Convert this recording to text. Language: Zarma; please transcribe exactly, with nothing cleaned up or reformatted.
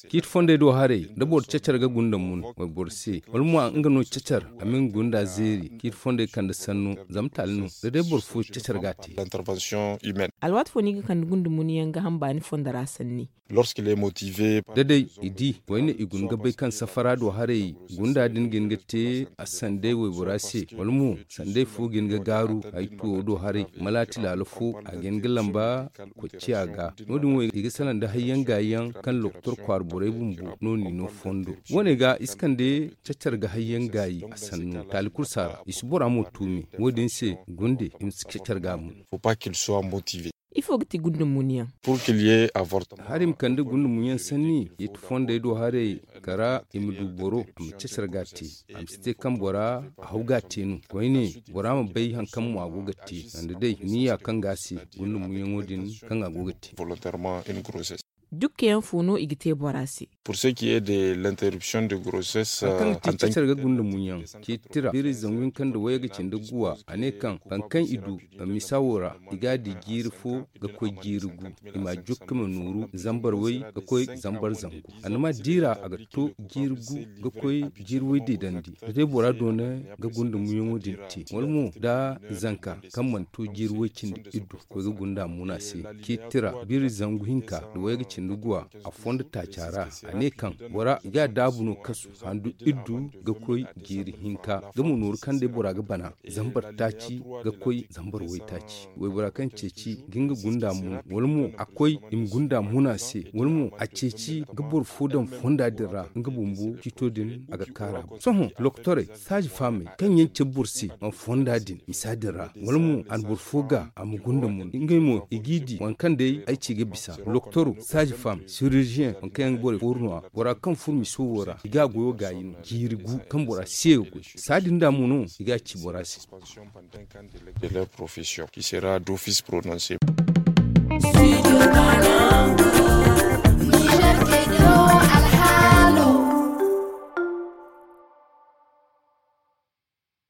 Ciiti fondey do haray da boro cacar ga gunda mun wayboro se wala mo nga no cacar a ma nga gunda zeeri ciiti fondey kande sanno zama taali no da day boro fo cacar ga a te. Alwaati fo no i ga kande gunda mun yaŋ ga hamba ni fondo ra sanni. Da day i di wayne i guna ga bay kaŋ safara do haray gunda din ga hin ga te a sanday waybora se wala mo sanday fo ga hin ga gaaru ay tuwo do haray malaati laalo fo a ga hin ga lamba kocciya ga. No- din wo i ga salaŋ da hayyaŋ gaayi yaŋ kaŋ lokotor kwaara borey bumbo no n'i no fondo. Wo- ne ga i si kande cacar ga hayyaŋ gaayi a sannu taali kulu si a ra i si bora mo tuumi. Wo- din se gunde i ma si cacar ga mun. Ifo ga ti gunda mun yaŋ? Hari i ma kande gunda mun yaŋ sanni i ti fondey do haray kara i ma du boro a ma cacar ga a te. A ma si te kaŋ bora a haw ga a te no koyne bora ma bay hari kaŋ mo a go ga te sanda day niyya kaŋ ga a se gunda mun yaŋo din kaŋ a go ga te. Dukka yaŋ fo no i ga te bora se? Hari kaŋ ga ti cacar ga gunda mun yaŋ ciiti tira biiri zangu hinka nda wayga cindi guwa a ne kaŋ hari kaŋ i du misa wo ra i ga a di jiiri fo ga koy jiiri gu. I m'a jukka ma nooru zambar way ga koy zambar zangu. Annama diira a ga to jiiri gu ga koy jiiri way deedandi da day bora doona ga gunda muyaŋo din te wala mo da zanka kaŋ mana to jiiri way cindi iddu koy ga gunda muna se. Ciiti tira biiri zangu hinka nda wayga cindi guwa a fondo taaca ra a ne kaŋ bora i ga a daabu no kasu handu iddu ga koy jiiri hinka ga ma nooru kaŋ day bora ga bana zambar taaci ga koy zambar waytaaci waybora kaŋ ceeci ga nga gunda mun wala mo a koy i ma gunda muna se wala mo a ceeci ga boro fo daŋ fonda din ra nga bumbo ciito din a ga kaara. Sohõ lokotorey saaji faamey kaŋ yaŋ cabe boro se ma fonda din misa din ra wala mo a na boro fo ga a ma gunda mun ngey mo i g'i di waŋ kaŋ day ay ci ga bisa lokotoro saaji faam siriziyeŋ waŋ kaŋ yaŋ ga borey fooru no- ya bora kaŋ furo miso wo ra i ga a goyo gaayi no jiiri gu kaŋ bora se ga goy saadi nda mo no i ga a ci bora se.